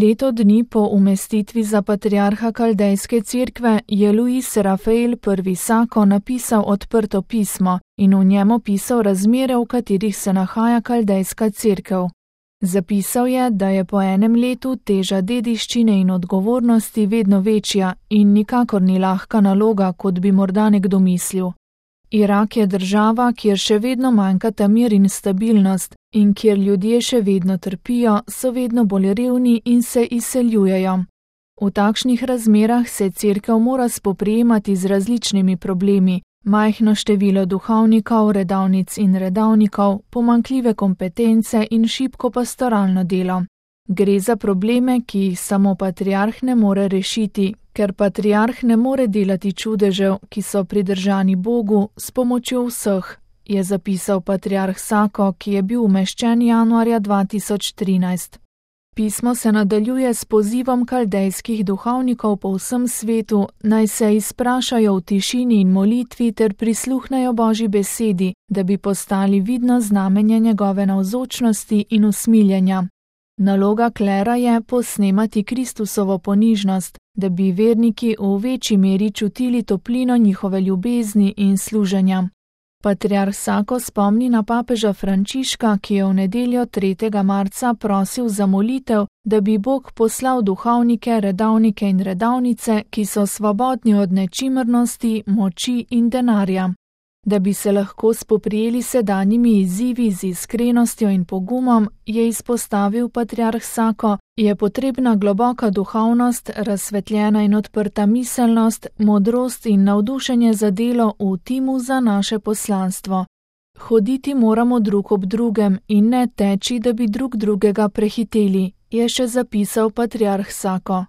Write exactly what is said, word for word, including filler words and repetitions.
Leto dni po umestitvi za patriarha Kaldejske cerkve je Luis Rafael prvi Sako napisal odprto pismo in v njem opisal razmere, v katerih se nahaja Kaldejska cerkev. Zapisal je, da je po enem letu teža dediščine in odgovornosti vedno večja in nikakor ni lahka naloga, kot bi morda nekdo mislil. Irak je država, kjer še vedno manjkata mir in stabilnost in kjer ljudje še vedno trpijo, so vedno bolj revni in se izseljujejo. V takšnih razmerah se cerkev mora spoprijemati z različnimi problemi, majhno število duhovnikov, redavnic in redavnikov, pomanjkljive kompetence in šibko pastoralno delo. Gre za probleme, ki jih samo patriarh ne more rešiti, ker patriarh ne more delati čudežev, ki so pridržani Bogu, s pomočjo vseh, je zapisal patriarh Sako, ki je bil umeščen januarja dva tisoč trinajst. Pismo se nadaljuje s pozivom kaldejskih duhovnikov po vsem svetu, naj se izprašajo v tišini in molitvi ter prisluhnejo Božji besedi, da bi postali vidno znamenje njegove navzočnosti in usmiljenja. Naloga klera je posnemati Kristusovo ponižnost, da bi verniki v večji meri čutili toplino njihove ljubezni in služenja. Patriarh Sako spomni na papeža Frančiška, ki je v nedeljo tretjega marca prosil za molitev, da bi Bog poslal duhovnike, redavnike in redavnice, ki so svobodni od nečimrnosti, moči in denarja. Da bi se lahko spoprijeli sedanjimi izzivi z iskrenostjo in pogumom, je izpostavil patriarh Sako, je potrebna globoka duhovnost, razsvetljena in odprta miselnost, modrost in navdušenje za delo v timu za naše poslanstvo. Hoditi moramo drug ob drugem in ne teči, da bi drug drugega prehiteli, je še zapisal patriarh Sako.